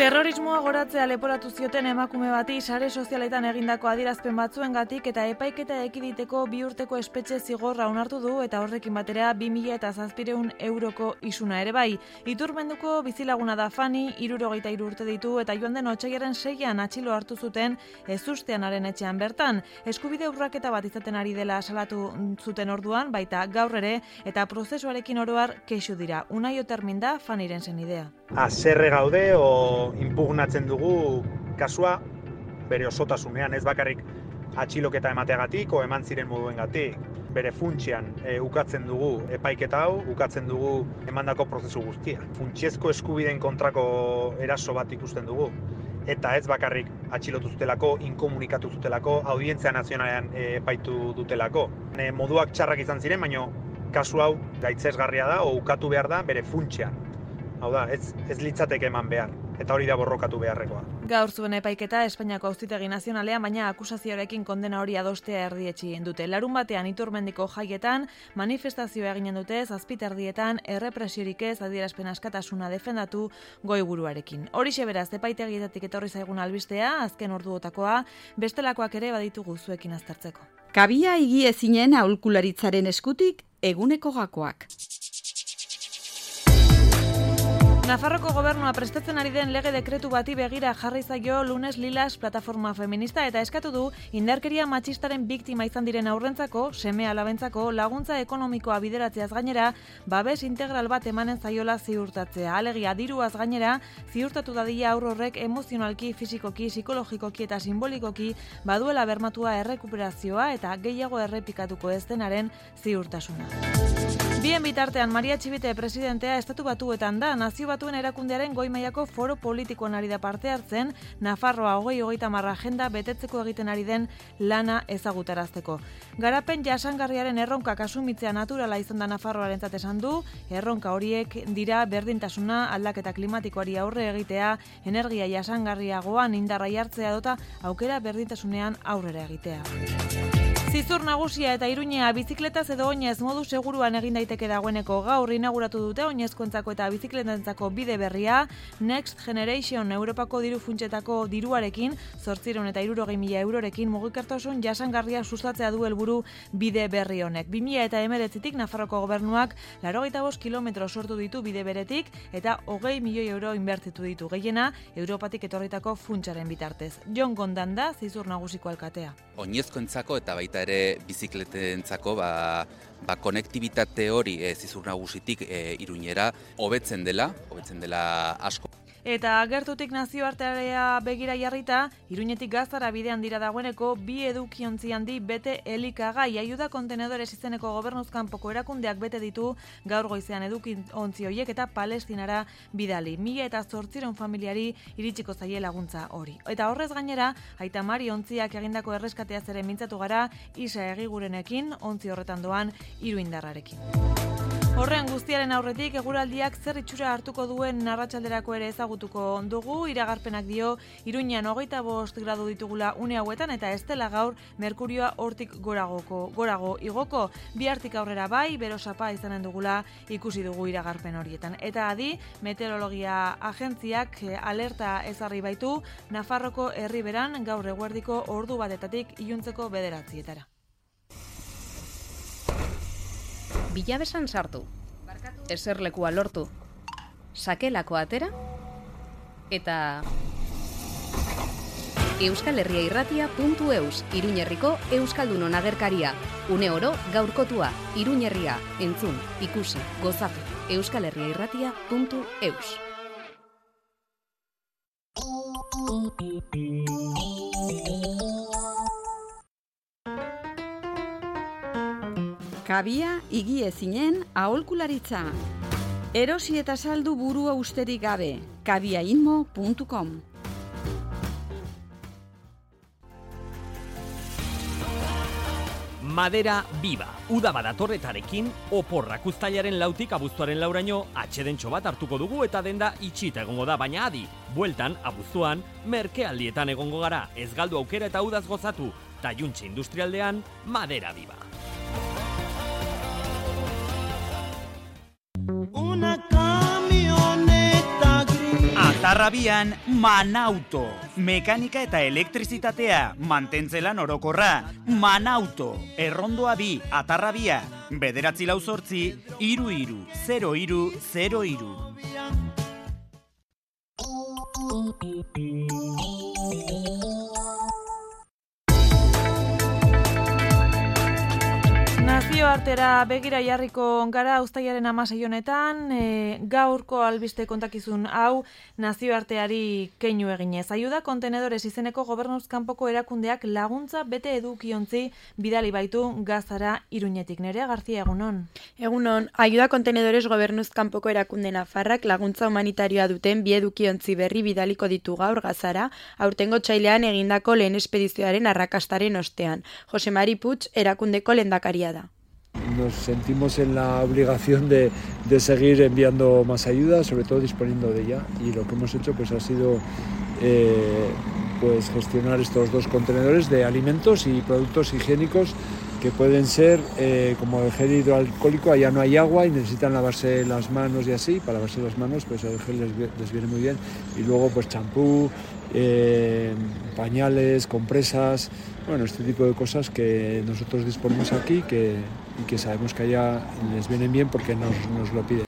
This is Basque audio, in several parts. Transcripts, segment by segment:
Terrorismoa goratzea leporatu zioten emakume bati sare sozialetan egindako adierazpen batzuengatik eta epaiketa ekiditeko 2 urteko espetxe zigorra onartu du eta horrekin batera 2.700 euroko isuna ere bai. Iturmenduko bizilaguna da Fani, 63 urte ditu eta joan den otsailaren 6an atxilo hartu zuten ezusteanaren etxean bertan. Eskubide urraketa bat izaten ari dela salatu zuten orduan, baita gaur ere eta prozesuarekin oroar kexu dira. Unai Otermin da Faniren senidea. Haserre gaude impugnatzen dugu kasua bere osotasunean, ez bakarrik atxiloketa emateagatik o eman ziren moduengatik. Bere funtsean ukatzen dugu epaiketa hau, ukatzen dugu emandako prozesu guztia. Funtsezko eskubideen kontrako eraso bat ikusten dugu. Eta ez bakarrik atxilotu zutelako, inkomunikatu zutelako, audientzia nazionalean epaitu dutelako. Moduak txarrak izan ziren, baina kasu hau gaitzesgarria da o ukatu behar da bere funtsean. Hau da, ez litzateke eman behar, eta hori da borrokatu beharrekoa. Gaur zuen epaiketa Espainiako Auzitegi Nazionalean, baina akusazioarekin kondena hori adostea erdietsi dute. Larunbatean Iturmendiko jaietan manifestazioa eginen dute, 7:00 errepresiorik ez adierazpen askatasuna defendatu goiburuarekin. Horixe beraz, epaitegietatik etorri zaigun albistea, azken orduotakoa, bestelakoak ere baditugu zuekin aztertzeko. Kabia higiezinen aholkularitzaren eskutik eguneko gakoak. Nafarroko gobernua prestatzen ari den lege dekretu bati begira jarri zaio Lunes Lilas plataforma feminista eta eskatu du indarkeria matxistaren biktima izan diren aurrentzako, seme-alabentzako laguntza ekonomikoa bideratzeaz gainera, babes integral bat emanen zaiola ziurtatzea. Alegia diruaz gainera, ziurtatu dadila haur horrek emozionalki, fisikoki, psikologikoki eta simbolikoki baduela bermatua errekuperazioa eta gehiago errepikatuko ez denaren ziurtasuna. Bien bitartean, Maria Txibite presidentea Estatu Batuetan da, Nazio Batuen erakundearen goi mailako foro politikoan ari da parte hartzen, Nafarroa 2030 agenda betetzeko egiten ari den lana ezagutarazteko. Garapen jasangarriaren erronkak asumitzea naturala izan da Nafarroarentzat esan du, erronka horiek dira berdintasuna, aldaketa klimatikoari aurre egitea, energia jasangarriagoan indarra jartzea dota aukera berdintasunean aurrera egitea. Zizur nagusia eta Iruñea bizikletaz edo oinez modu seguruan egin daiteke dagoeneko gaur inauguratu dute oinezkoentzako eta bizikletentzako bide berria, Next Generation Europako diru funtsetako diruarekin, 860.000 eurorekin mugikortasun jasangarria sustatzea du helburu bide berri honek. 2019tik Nafarroko gobernuak 85 kilometro sortu ditu bide beretik eta 20 milioi euro inbertitu ditu, gehiena Europatik etorritako funtsaren bitartez. Jon Gondan da Zizur nagusiko alkatea. Oinezkoentzako eta baita ere bizikletentzako konektibitate hori Zizur nagusitik Iruñera hobetzen dela asko. Eta gertutik nazioartearea begira jarrita, Iruñetik Gaztara bidean dira dagoeneko 2 edukiontzi handi bete elikagai. Ayuda Kontenedores izeneko gobernuzkanpoko erakundeak bete ditu gaur goizean edukiontzi horiek eta Palestinara bidali. 1.800 familiari iritsiko zaie laguntza hori. Eta horrez gainera, Aita Mari ontziak egindako erreskateaz ere mintzatu gara Isa Egigurenekin, ontzi horretan doan Iruindarrarekin. Horren guztiaren aurretik eguraldiak zer itxura hartuko duen arratsalderako ere ezagutuko dugu. Iragarpenak dio Iruñean 25 gradu ditugula une hauetan eta ez dela gaur merkurioa hortik gorago igoko. Bihartik aurrera bai, berosapa izanen dugula ikusi dugu iragarpen horietan. Eta adi, meteorologia agentziak alerta ezarri baitu Nafarroko herriberan gaur eguerdiko ordu batetatik iluntzeko 9:00. Bilabesan sartu, eserlekua lortu, sakelako atera, eta euskalherriairratia.eus, Iruñerriko Euskaldunon agerkaria, une oro gaurkotua, Iruñerria, entzun, ikusi, gozatu, euskalherriairratia.eus. Kabia higiezinen aholkularitza. Erosi eta saldu burua usterik gabe. kabiainmo.com. Madera Viva. Uda badatorretarekin, oporrak uztailaren 4tik abuztuaren 4raino atxedentxo bat hartuko dugu eta denda itxita egongo da, baina adi. Bueltan, abuztuan, merkealdietan egongo gara. Ez galdu aukera eta udaz gozatu. Taiuntxe industrialdean, Madera Viva. Atarrabian Manauto. Mekanika eta elektrizitatea, mantentzelan orokorra. Manauto. Errondoa 2, Atarrabia. 948 33 Nazioartera begira jarriko gara uztailaren 16 honetan, gaurko albiste kontakizun hau nazioarteari keinu eginez. Ayuda Kontenedores izeneko gobernuz kanpoko erakundeak laguntza bete edukiontzi bidali baitu Gazara Iruñetik. Nerea Garzia, egunon. Egunon, Ayuda Kontenedores gobernuz kanpoko erakunde nafarrak laguntza humanitarioa duten bi edukiontzi berri bidaliko ditu gaur Gazara, aurtengo otsailean egindako lehen espedizioaren arrakastaren ostean. Jose Mari Puig erakundeko lehendakaria da. Nos sentimos en la obligación de seguir enviando más ayuda, sobre todo disponiendo de ella, y lo que hemos hecho pues ha sido pues gestionar estos 2 contenedores de alimentos y productos higiénicos que pueden ser como el gel hidroalcohólico. Allá no hay agua y necesitan lavarse las manos y así. Para lavarse las manos pues el gel les viene muy bien, y luego pues champú, pañales, compresas, bueno, este tipo de cosas que nosotros disponemos aquí y que sabemos que allá les vienen bien porque nos lo piden.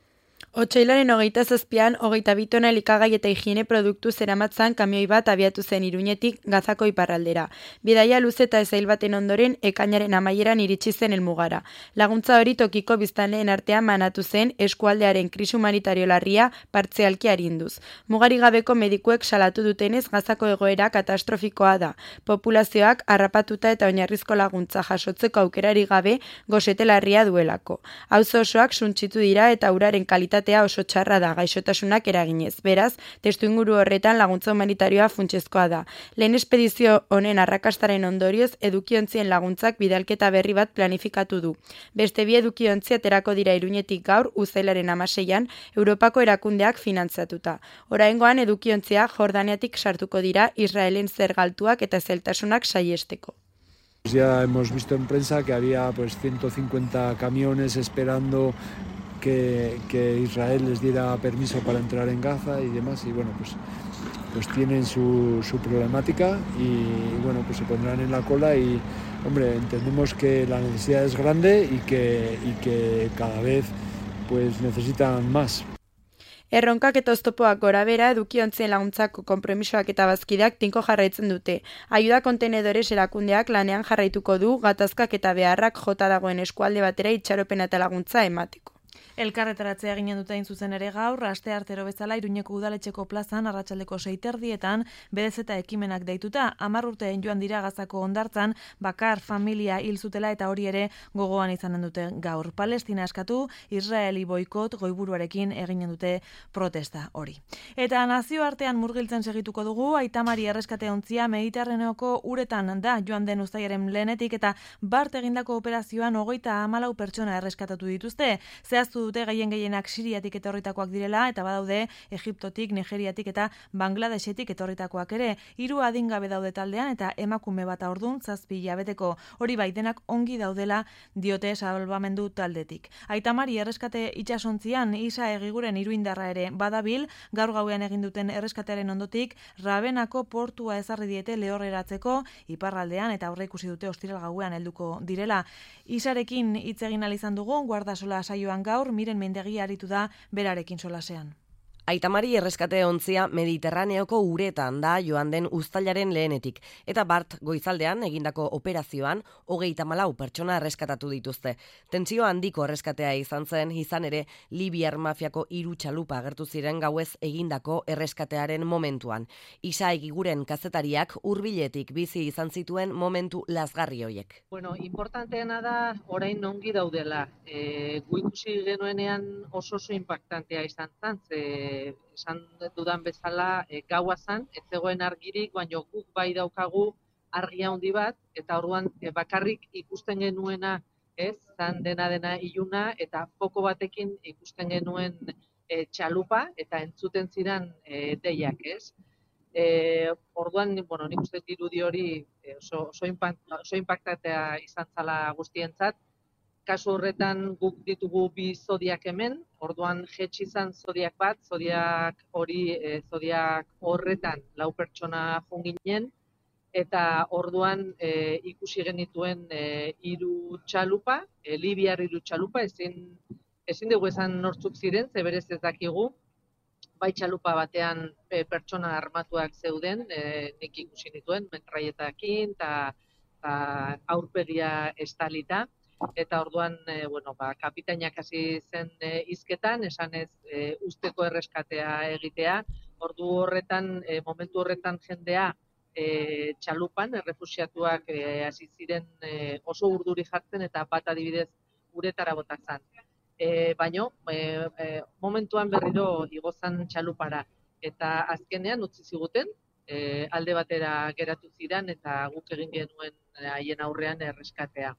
Otsailaren 27an, 22 tona elikagai eta higiene produktu zeramatzan kamioi bat abiatu zen Iruñetik Gazako iparraldera. Bidaia luze eta ezail baten ondoren ekainaren amaieran iritsi zen helmugara. Laguntza hori tokiko biztanleen artean banatu zen eskualdearen krisi humanitario larria partzialki arinduz. Mugari gabeko medikuek salatu dutenez Gazako egoera katastrofikoa da. Populazioak harrapatuta eta oinarrizko laguntza jasotzeko aukerari gabe gosete larria duelako. Auzo osoak suntsitu dira eta uraren kalitatea oso txarra da gaixotasunak eraginez. Beraz, testuinguru horretan laguntza humanitarioa funtsezkoa da. Lehen espedizio honen arrakastaren ondorioz edukiontzien laguntzak bidalketa berri bat planifikatu du. Beste bi edukiontzi aterako dira Iruñetik gaur uztailaren 16an Europako erakundeak finantzatuta. Oraingoan edukiontzia Jordaniatik sartuko dira Israelen zergaltuak eta zeltasunak saihesteko. Ya hemos visto en prensa que había pues 150 camiones esperando que Israel les diera permiso para entrar en Gaza y demás, y bueno, pues tienen su problemática y bueno, pues se pondrán en la cola y, hombre, entendemos que la necesidad es grande y que cada vez pues necesitan más. Erronkak eta oztopoak gorabera edukiontzien laguntzako konpromisoak eta bazkideak tinko jarraitzen dute. Ayuda Kontenedores erakundeak lanean jarraituko du gatazkak eta beharrak jota dagoen eskualde batera itxaropena eta laguntza emateko. Elkarretaratzea eginen dute hain zuzen ere gaur, asteartero bezala Iruñeko udaletxeko plazan arratsaldeko 6:30 bedez eta ekimenak deituta. 10 urteen joan dira Gazako hondartzan, bakar familia hil zutela eta hori ere gogoan izanen dute gaur. Palestina eskatu, Israeli boikot goiburuarekin eginen dute protesta hori. Eta nazioartean murgiltzen segituko dugu, Aitamari erreskate ontzia Mediterraneoko uretan da joan den uztailaren lehenetik eta bart egindako operazioan 34 pertsona erreskatatu dituzte. Zehaztu dute gehienak Siriatik etorritakoak direla eta badaude Egiptotik, Nigeriatik eta Bangladesetik etorritakoak ere. 3 adingabe daude taldean eta emakume bat ordun 7 hilabeteko. Hori bai denak ongi daudela diote salbamendu taldetik. Aitamari erreskate itsasontzian Isa Egiguren iruindarra ere badabil, gaur gauean egin duten erreskatearen ondotik Rabenako portua ezarri diete lehorreratzeko iparraldean eta aurreikusi dute ostiral gauean helduko direla. Isarekin hitz egin ahal izan dugu guardasola saioan gaur, Miren Mendegi aritu da berarekin solasean. Aitamari erreskate ontzia Mediterraneoko uretan da joan den uztailaren lehenetik, eta bart goizaldean egindako operazioan 34 pertsona erreskatatu dituzte. Tentsio handiko erreskatea izan ere Libiar mafiako 3 txalupa agertu ziren gauez egindako erreskatearen momentuan. Isa Egiguren kazetariak hurbiletik bizi izan zituen momentu lazgarri hoiek. Bueno, importanteena da orain ongi daudela. Gu ikusi genuenean oso impactantea izan zen, esan dudan bezala gaua zan, ez zegoen argirik, baina guk bai daukagu argia handi bat, eta orduan bakarrik ikusten genuena, zan dena iluna, eta foko batekin ikusten genuen txalupa, eta entzuten ziren deiak, Orduan, nik uste dirudi hori oso impactatea izan zala guztientzat, Kasu horretan guk ditugu 2 zodiak hemen, orduan jetxi izan zodiak bat, zodiak horretan 4 pertsona joan ginen, eta orduan ikusi genituen 3 txalupa, libiar 3 txalupa, ezin dugu esan nortzuk ziren, ze berez ez dakigu, bai txalupa batean pertsona armatuak zeuden, nik ikusi nituen, metraietakin eta aurpegia estalita, eta orduan kapitainak hasi zen hizketan, esanez usteko erreskatea egitea, momentu horretan jendea txalupan, errefuxiatuak hasi ziren oso urduri jartzen eta bat adibidez uretara botatzen. Baino, momentuan berriro igozan txalupara eta azkenean utzi ziguten, alde batera geratu ziren eta guk egin genuen haien aurrean erreskatea.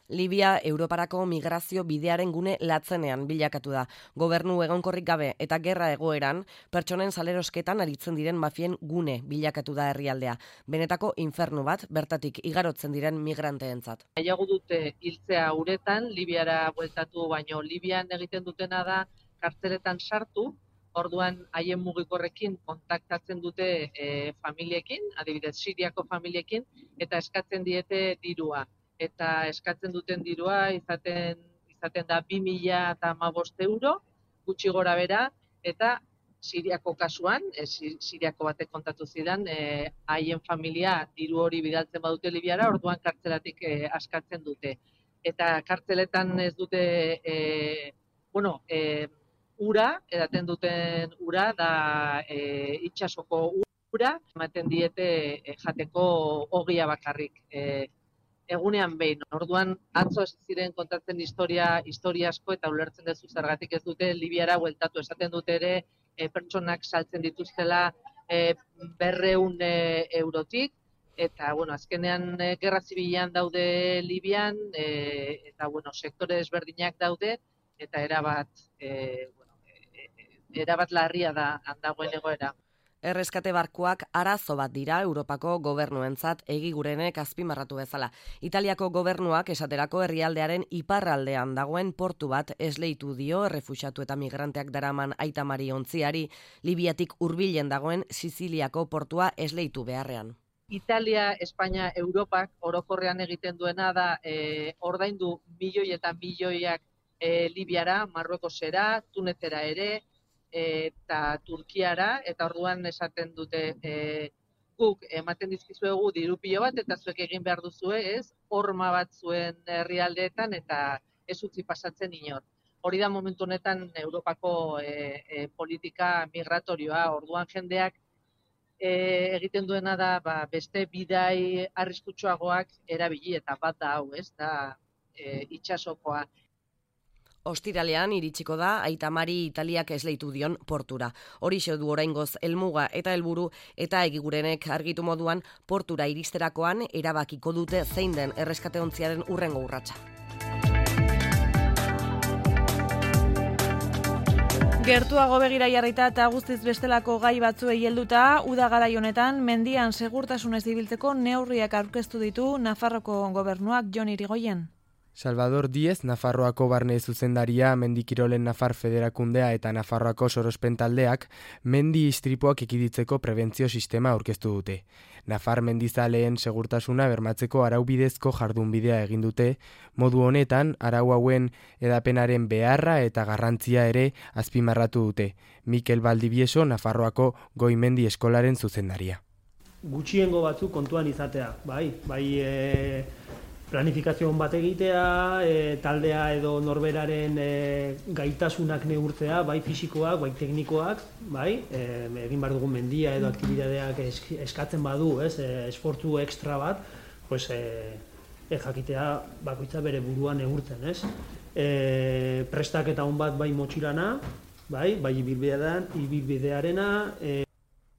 Libia Europarako migrazio bidearen gune latzenean bilakatu da. Gobernu egonkorrik gabe eta gerra egoeran, pertsonen salerosketan aritzen diren mafien gune bilakatu da herrialdea. Benetako infernu bat, bertatik igarotzen diren migranteentzat. Nahiago dute hiltzea uretan, Libiara bueltatu, baino Libian egiten dutena da kartzeletan sartu, orduan haien mugikorrekin kontaktatzen dute familiekin, adibidez Siriako familiekin, eta eskatzen diete dirua. Eta eskatzen duten dirua izaten da 2.015 euro, gutxi gora bera, eta Siriako kasuan, Siriako batek kontatu zidan, haien familia diru hori bidaltzen badute Libiara, orduan kartzelatik askatzen dute. Eta kartzeletan ez dute, ura, edaten duten ura, da itsasoko ura, ematen diete jateko ogia bakarrik. Egunean behin, orduan atzo ez ziren kontatzen historia asko eta ulertzen duzu zergatik ez dute Libiara bueltatu, esaten dute ere pertsonak saltzen dituztela 200 eurotik, eta azkenean gerra zibilean daude Libian, eta sektore desberdinak daude, eta erabat larria da dagoen egoera. Erreskate barkuak arazo bat dira Europako gobernuentzat egigurenek azpimarratu bezala. Italiako gobernuak esaterako herrialdearen iparraldean dagoen portu bat esleitu dio errefuxiatu eta migranteak daraman Aita Mari ontziari, Libiatik hurbilen dagoen Siziliako portua esleitu beharrean. Italia, Espainia, Europak orokorrean egiten duena da ordaindu milioi eta milioiak Libiara, Marruekosera, Tunezera ere, eta Turkiara, eta orduan esaten dute guk ematen dizkizuegu diru pilo bat, eta zuek egin behar duzue, horma bat zuen herrialdeetan, eta ez utzi pasatzen inor. Hori da momentu honetan Europako politika migratorioa, orduan jendeak egiten duena da beste bidai arriskutsuagoak erabili, eta bat da hau, da itsasokoa. Ostiralean iritsiko da Aita Mari Italiak esleitu dion portura. Horixe du oraingoz helmuga eta helburu, eta egigurenek argitu moduan portura iristerakoan erabakiko dute zein den erreskateontziaren hurrengo urratsa. Gertuago begira jarrita eta guztiz bestelako gai batzuei helduta, uda garai honetan mendian segurtasunez ibiltzeko neurriak aurkeztu ditu Nafarroko gobernuak. Jon Irigoyen. Salvador Díez, Nafarroako barne zuzendaria, Mendikirolen Nafar Federakundea eta Nafarroako sorospen taldeak mendi istripuak ekiditzeko prebentzio sistema aurkeztu dute. Nafar mendizaleen segurtasuna bermatzeko araubidezko jardunbidea egin dute, modu honetan arau hauen edapenaren beharra eta garrantzia ere azpimarratu dute. Mikel Baldibieso, Nafarroako Goi-mendi eskolaren zuzendaria. Gutxiengo batzuk kontuan izatea, bai planifikazio bat egitea, taldea edo norberaren gaitasunak neurtzea, bai fisikoak, bai teknikoak, bai, egin behar dugun mendia edo aktibidadeak eskatzen badu, esfortzu ekstra bat, jakitea bakoitza bere buruan neurtzen, prestaketa on bat bai motxilana, bai ibilbidearena,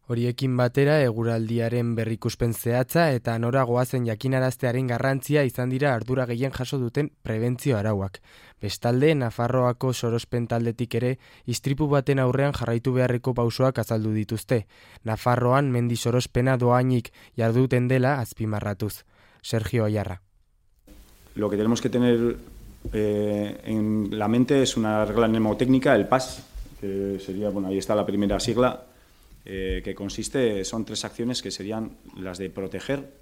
Horiekin batera eguraldiaren berrikuspen zehatza eta nora goazen jakinaraztearen garrantzia izan dira ardura gehien jaso duten prebentzio arauak. Bestalde, Nafarroako sorospen taldetik ere istripu baten aurrean jarraitu beharreko pausoak azaldu dituzte. Nafarroan mendi sorospena doainik jarduten dela azpimarratuz. Sergio Ayarra. Lo que tenemos que tener en la mente es una regla mnemotécnica, el PAS, que sería, bueno, ahí está la primera sigla, que consiste, son 3 acciones que serían las de proteger,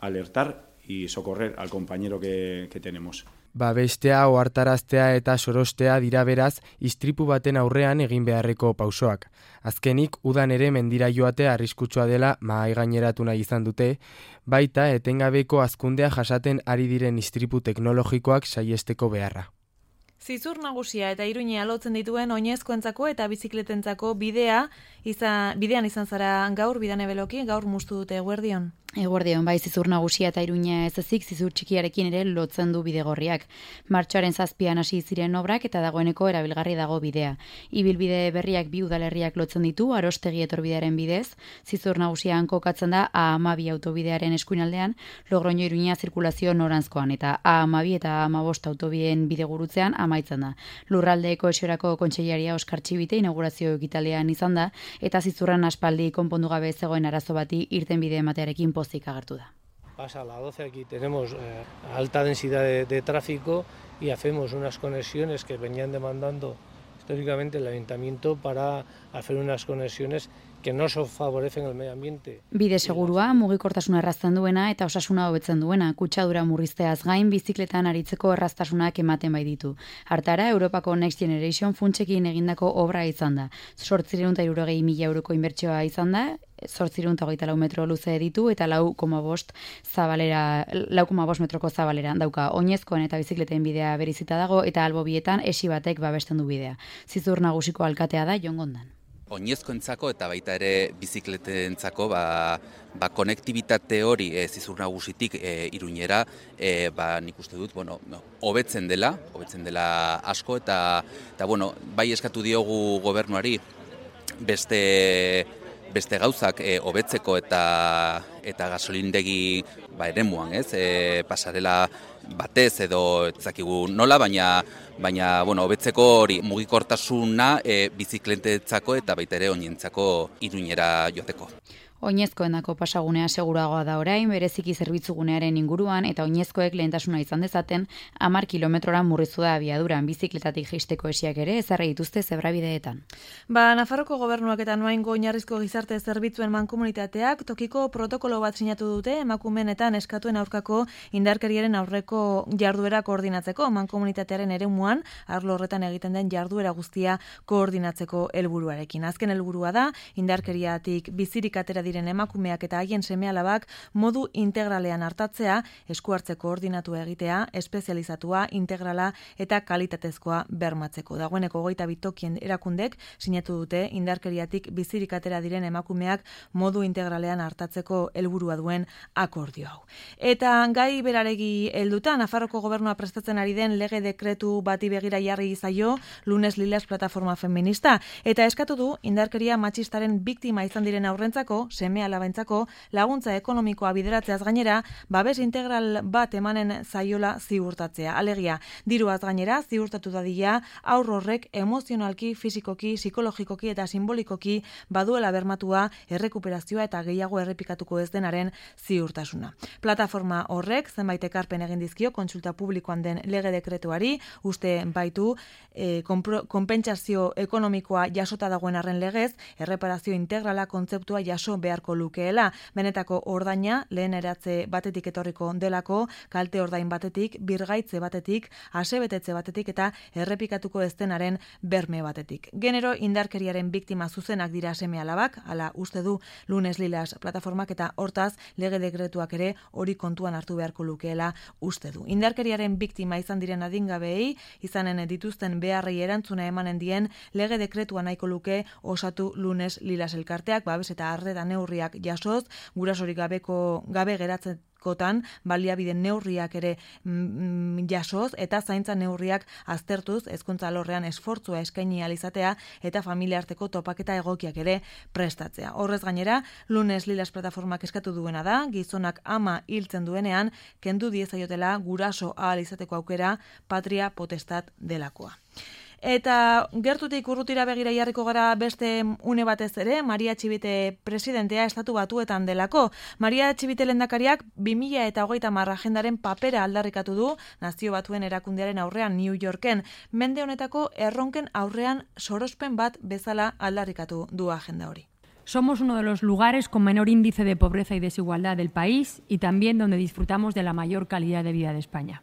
alertar y socorrer al compañero que tenemos. Babestea, ohartaraztea eta sorostea dira beraz istripu baten aurrean egin beharreko pausoak. Azkenik, udan ere mendira joatea arriskutsua dela mahai gaineratu nahi izan dute, baita etengabeko hazkundea jasaten ari diren istripu teknologikoak saihesteko beharra. Zizur nagusia eta Iruñea lotzen dituen oinezkoentzako eta bizikletentzako bidean izan zara gaur, Bidane Beloki, gaur muztu dute eguerdion. Eguerdion, bai, zizur nagusia eta Iruñea ez ezik, zizur txikiarekin ere lotzen du bidegorriak. Martxoaren 7an hasi ziren obrak eta dagoeneko erabilgarri dago bidea. Ibilbide berriak 2 udalerriak lotzen ditu, Arostegi etorbidearen bidez, zizur nagusian kokatzen da A12 autobidearen eskuinaldean, Logroño Iruñea zirkulazio noranzkoan, eta A12 eta A15 autobideen bidegurutzean amaitzen da. Lurralde kohesiorako kontseilaria Oskar Txibite inaugurazio ekitaldian izan da, eta zizurran aspaldi konpondu gabe zegoen arazo bati irtenbide ematearekin pozik agertu da. Pasa a la 12 aquí tenemos alta densidad de tráfico y hacemos unas conexiones que venían demandando históricamente el ayuntamiento para hacer unas conexiones que no favorecen el medio ambiente. Bide segurua, mugikortasuna errazten duena eta osasuna hobetzen duena, kutsadura murrizteaz gain bizikletan aritzeko erraztasunak ematen bai ditu. Hartara, Europako Next Generation funtsekin egindako obra izan da. 860.000 euroko inbertsioa izan da, 824 metro luze ditu eta 4,5 metroko zabalera dauka. Oinezkoen eta bizikleten bidea berizita dago eta albo bietan esi batek babesten du bidea. Zizur nagusiko alkatea da Jon Gondan. Oinezkoentzako eta baita ere bizikletentzako konektibitate hori zizur nagusitik Iruñera nik uste dut hobetzen dela asko eta bai eskatu diogu gobernuari beste gauzak hobetzeko eta gasolindegi eremuan, pasarela batez edo ezakigu nola, baina hobetzeko hori mugikortasuna bizikletentzako eta baita ere oinentzako Iruñera joateko. Oinezkoenako pasagunea seguragoa da orain, bereziki zerbitzugunearen inguruan eta oinezkoek lehentasuna izan dezaten 10 kilometrora murriztu da abiaduran, bizikletatik jaisteko esiak ere ezarri dituzte zebrabideetan. Nafarroko gobernuak eta Noaingo oinarrizko gizarte zerbitzuen mankomunitateak tokiko protokolo bat sinatu dute emakumeen eta neskatuen aurkako indarkeriaren aurreko jarduera koordinatzeko, mankomunitatearen eremuan arlo horretan egiten den jarduera guztia koordinatzeko helburuarekin. Azken helburua da indarkeriatik bizirik atera diren emakumeak eta haien seme-alabak modu integralean hartatzea, esku hartze koordinatua egitea, espezializatua, integrala eta kalitatezkoa bermatzeko. Dagoeneko 22 tokien erakundek sinatu dute indarkeriatik bizirik atera diren emakumeak modu integralean hartatzeko helburua duen akordio hau. Eta gai beraregi helduta, Nafarroko gobernua prestatzen ari den lege dekretu bati begira jarri zaio Lunes Lilas plataforma feminista eta eskatu du indarkeria matxistaren biktima izan diren aurrentzako seme-alabentzako laguntza ekonomikoa bideratzeaz gainera, babes integral bat emanen zaiola ziurtatzea. Alegia, diruaz gainera ziurtatu dadila aur horrek emozionalki, fisikoki, psikologikoki eta simbolikoki baduela bermatua errekuperazioa eta gehiago errepikatuko ez denaren ziurtasuna. Plataforma horrek zenbait ekarpen egin dizkio kontsulta publikoan den lege dekretuari, uste baitu konpentsazio ekonomikoa jasota dagoen arren legez, erreparazio integrala kontzeptua jaso beharko lukeela. Benetako ordaina lehen eratze batetik etorriko delako, kalte ordain batetik, birgaitze batetik, asebetetze batetik eta errepikatuko ez denaren berme batetik. Genero indarkeriaren biktima zuzenak dira seme-alabak, hala uste du Lunes Lilas plataformak eta hortaz lege dekretuak ere hori kontuan hartu beharko lukeela uste du. Indarkeriaren biktima izan diren adingabeei, izanen dituzten beharrei erantzuna emanen dien lege dekretua nahiko luke osatu Lunes Lilas elkarteak, babes eta arreta neurriak jasoz, gurasorik gabe geratzen baliabide neurriak ere jasoz eta zaintza neurriak aztertuz hezkuntza alorrean esfortzua eskaini ahal izatea eta familia arteko topaketa egokiak ere prestatzea. Horrez gainera, Lunes Lilas plataformak eskatu duena da, gizonak ama hiltzen duenean, kendu diezaiotela guraso ahal izateko aukera patria potestat delakoa. Eta gertutik urrutira begira jarriko gara beste une batez ere, Maria Txibite presidentea Estatu Batuetan delako. Maria Txibite lehendakariak 2030 agendaren papera aldarrikatu du Nazio Batuen erakundearen aurrean New Yorken. Mende honetako erronken aurrean sorospen bat bezala aldarrikatu du agenda hori. Somos uno de los lugares con menor índice de pobreza y desigualdad del país y también donde disfrutamos de la mayor calidad de vida de España.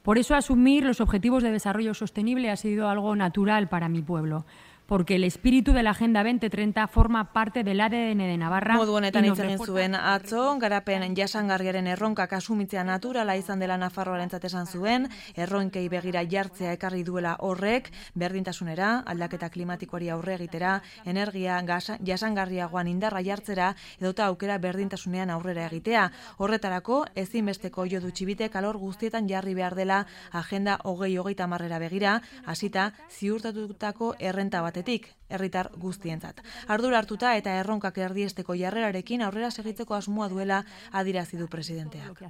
Por eso asumir los objetivos de desarrollo sostenible ha sido algo natural para mi pueblo, porque el espíritu de la Agenda 2030 forma parte del ADN de Navarra. Modu honetan hitz egin zuen atzo, garapen jasangarriaren erronkak asumitzea naturala izan dela Nafarroarentzat esan zuen, erronkei begira jartzea ekarri duela horrek, berdintasunera, aldaketa klimatikoari aurre egitera, energia jasangarriagoan indarra jartzera, edota aukera berdintasunean aurrera egitea. Horretarako, ezinbesteko jo du Txibitek alor guztietan jarri behar dela Agenda 2030 begira, hasita ziurtatutako errenta bat herritar guztientzat. Ardura hartuta eta erronkak erdiesteko jarrerarekin aurrera segitzeko asmoa duela adierazi du presidenteak.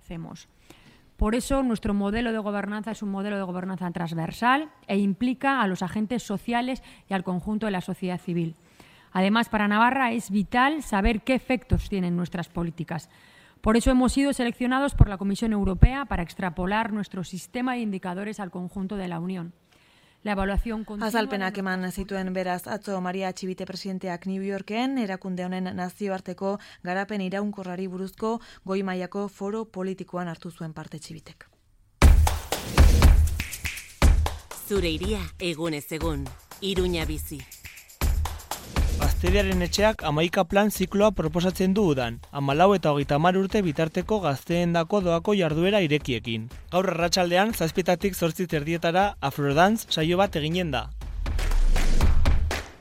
Por eso nuestro modelo de gobernanza es un modelo de gobernanza transversal e implica a los agentes sociales y al conjunto de la sociedad civil. Además, para Navarra es vital saber qué efectos tienen nuestras políticas. Por eso hemos sido seleccionados por la Comisión Europea para extrapolar nuestro sistema de indicadores al conjunto de la Unión. Azalpenak eman zituen beraz atzo Maria Txibite presidenteak New Yorken, erakunde honen nazioarteko garapen iraunkorrari buruzko goi mailako foro politikoan hartu zuen parte Txibitek. Zure iria egunez egun, Iruña bizi. Gazteriaren etxeak 11 plan zikloa proposatzen du udan, 14 eta 30 urte bitarteko gazteendako doako jarduera irekiekin. Gaur arratsaldean 7:00 zortzi terdietara Afrodance saio bat eginen da.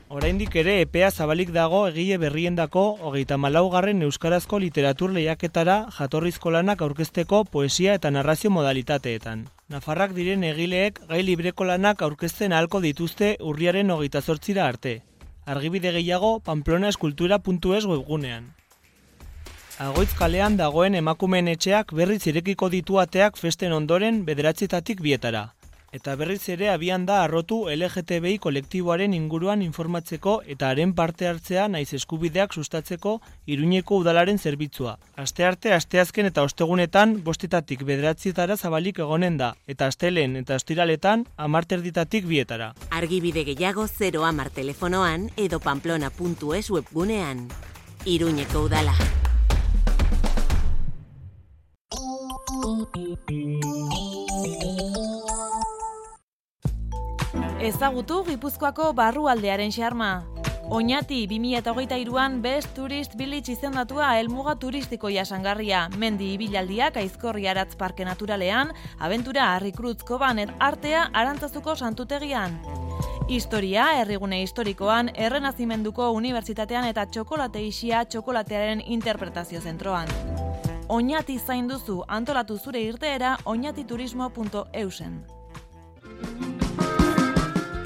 Oraindik ere epea zabalik dago egile berriendako 34. euskarazko literatur lehiaketara jatorrizko lanak aurkezteko poesia eta narrazio modalitateetan. Nafarrak diren egileek gai libreko lanak aurkezten ahalko dituzte urriaren 28 arte. Argibide gehiago pamplona-eskultura.es webgunean. Agoitz kalean dagoen emakumeen etxeak berriz irekiko ditu ateak festen ondoren 9:00 bietara. Eta berriz ere abian da arrotu LGTBI kolektiboaren inguruan informatzeko eta haren parte hartzea naiz eskubideak sustatzeko Iruñeko udalaren zerbitzua. Astearte, asteazken eta ostegunetan 5:00 9:00 zabalik egonen da, eta astelen eta ostiraletan 10:00 bietara. Argibide gehiago 010 telefonoan edo pamplona.es webgunean. Iruñeko udala. Ezagutu Gipuzkoako barrualdearen xarma. Oñati 2023an Best Tourist Village izendatua helmuga turistiko jasangarria, mendi ibilaldiak Aizkorri Aratz Parke Naturalean, abentura Harrikruz Koban artea Arantzazuko santutegian. Historia, herrigune historikoan, Errenazimenduko Unibertsitatean eta txokolate isia txokolatearen interpretazio zentroan. Oñati zain duzu, antolatu zure irteera oñatiturismo.eusen.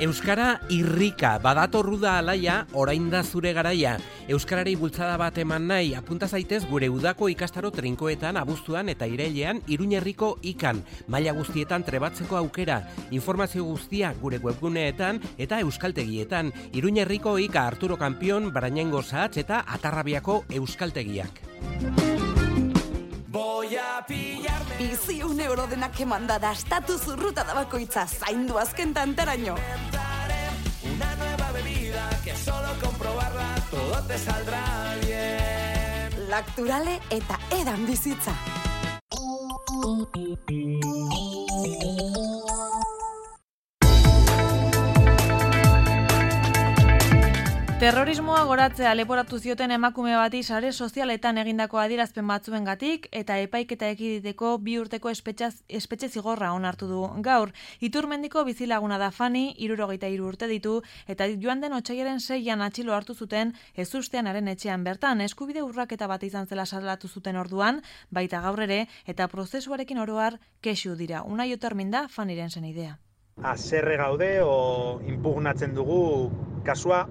Euskara irrika, badatorru da alaia, orain da zure garaia. Euskarari bultzada bat eman nahi, apunta zaitez gure udako ikastaro trinkoetan, abuztuan eta irailean Iruñerriko ikan. Maila guztietan trebatzeko aukera. Informazio guztia gure webguneetan eta euskaltegietan. Iruñerriko ika Arturo Kampion, Barañengo Sahatz eta Atarrabiako euskaltegiak. Bizi €1 denak emanda da, estatu zurruta da bakoitza, zaindu azken tantaraino. Una nueva bebida que solo comprobarla todo te saldrá bien. Lacturale eta edan bizitza. Terrorismoa goratzea leporatu zioten emakume bati sare sozialetan egindako adierazpen batzuengatik eta epaiketa ekiditeko 2 urteko espetxe zigorra onartu du gaur. Iturmendiko bizilaguna da Fani, 63 urte ditu eta joan den otsailaren 6an atxilo hartu zuten ezusteanaren etxean bertan. Eskubide urraketa bat izan zela salatu zuten orduan, baita gaur ere eta prozesuarekin oroar kexu dira. Unai Otermin da Faniren senidea. Haserre gaude o impugnatzen dugu kasua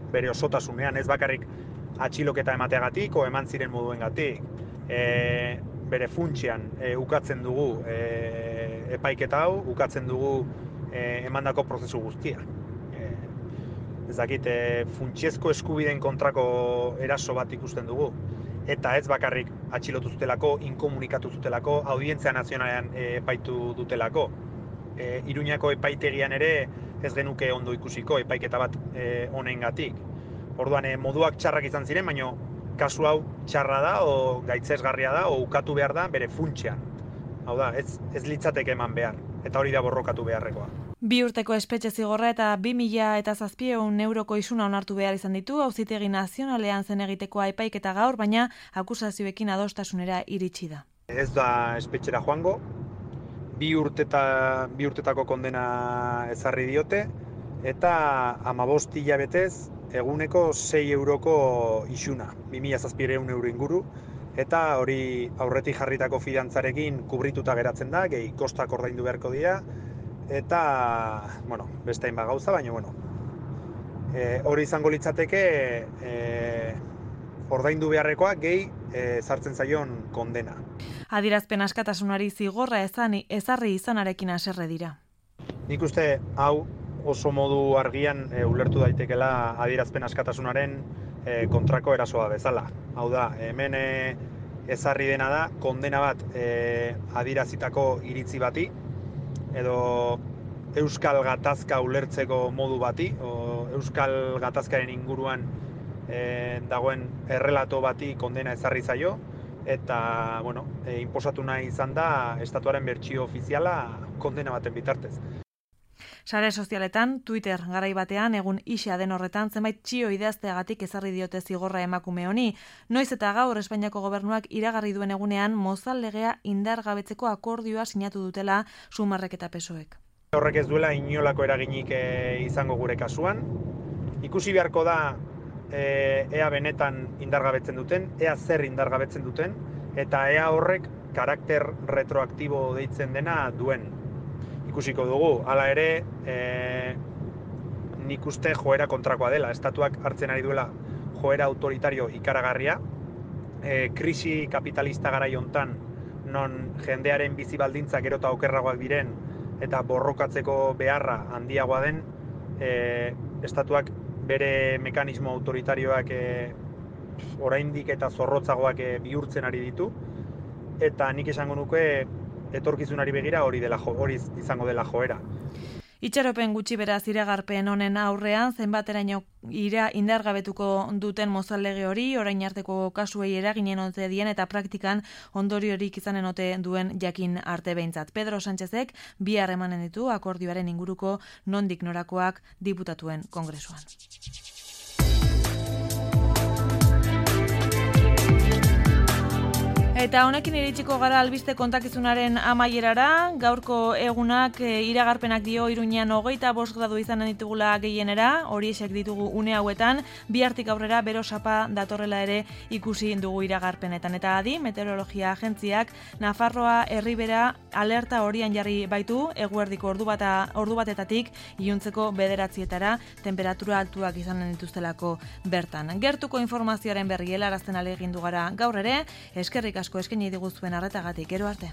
bere osotasunean, ez bakarrik atxiloketa emateagatik o eman ziren moduengatik. Bere funtsian ukatzen dugu epaiketa hau, ukatzen dugu emandako prozesu guztia. Ez dakit, funtsiezko eskubideen kontrako eraso bat ikusten dugu. Eta ez bakarrik atxilotu zutelako, inkomunikatu zutelako, audientzia nazionalean epaitu dutelako. Iruñako epaitegian ere ez genuke ondo ikusiko epaiketa bat honengatik. Orduan, moduak txarrak izan ziren, baina kasu hau txarra da, o gaitzesgarria da, o ukatu behar da bere funtsean. Hau da, ez litzateke eman behar, eta hori da borrokatu beharrekoa. 2 urteko espetxe zigorra eta 2.700 euroko isuna onartu behar izan ditu, auzitegi nazionalean zen egitekoa epaiketa gaur, baina akusazioekin adostasunera iritsi da. Ez da espetxera joango, 2 urtetako kondena ezarri diote, eta 15 hilabetez eguneko 6 euroko isuna, 2.700 euro inguru, eta hori aurretik jarritako fidantzarekin kubrituta geratzen da, gehi kostak ordaindu beharko dira, eta, beste hainbat gauza, baina, hori izango litzateke ordaindu beharrekoa gehi sartzen zaion kondena. Adierazpen askatasunari zigorra ezarri izanarekin haserre dira. Nik uste hau oso modu argian ulertu daitekela adierazpen askatasunaren kontrako erasoa bezala. Hau da, hemen ezarri dena da, kondena bat adierazitako iritzi bati, edo euskal gatazka ulertzeko modu bati, o euskal gatazkaren inguruan dagoen errelato bati kondena ezarri zaio, eta, inposatu nahi izan da estatuaren bertsio ofiziala kondena baten bitartez. Sare sozialetan, Twitter garai batean, egun isa den horretan, zenbait txio idazteagatik ezarri diote zigorra emakume honi. Noiz eta gaur Espainiako gobernuak iragarri duen egunean, mozal legea indargabetzeko akordioa sinatu dutela Sumarrek eta PSOEk. Horrek ez duela inolako eraginik izango gure kasuan. Ikusi beharko da ea benetan indargabetzen duten, ea zer indargabetzen duten, eta ea horrek karakter retroaktibo deitzen dena duen. Ikusiko dugu, hala ere, nik uste joera kontrakoa dela. Estatuak hartzen ari duela joera autoritario ikaragarria. Krisi kapitalista garai hontan, non jendearen bizi baldintzak gero eta okerragoak diren, eta borrokatzeko beharra handiagoa den, estatuak bere mekanismo autoritarioak oraindik eta zorrotzagoak bihurtzen ari ditu, eta nik esango nuke etorkizunari begira hori izango dela joera. Itxaropen gutxi beraz iragarpen honen aurrean, zenbateraino indargabetuko duten mozal lege hori, orain arteko kasuei eraginen ote dien eta praktikan ondoriorik izanen ote duen jakin arte behintzat. Pedro Sánchezek bihar emanen ditu akordioaren inguruko nondik norakoak diputatuen kongresuan. Eta honekin iritsiko gara albiste kontakizunaren amaierara, gaurko egunak iragarpenak dio Iruñean 25 gradu izanen ditugula gehienera, horiexek ditugu une hauetan, bihartik aurrera bero sapa datorrela ere ikusi dugu iragarpenetan. Eta adi, meteorologia agentziak Nafarroa Erribera alerta horian jarri baitu, eguerdiko ordu batetatik iluntzeko 9etara temperatura altuak izanen dituztelako bertan. Gertuko informazioaren berri helarazten ahalegindu gara gaur ere, eskerrik asko eskaini diguzuen arretagatik, gero arte.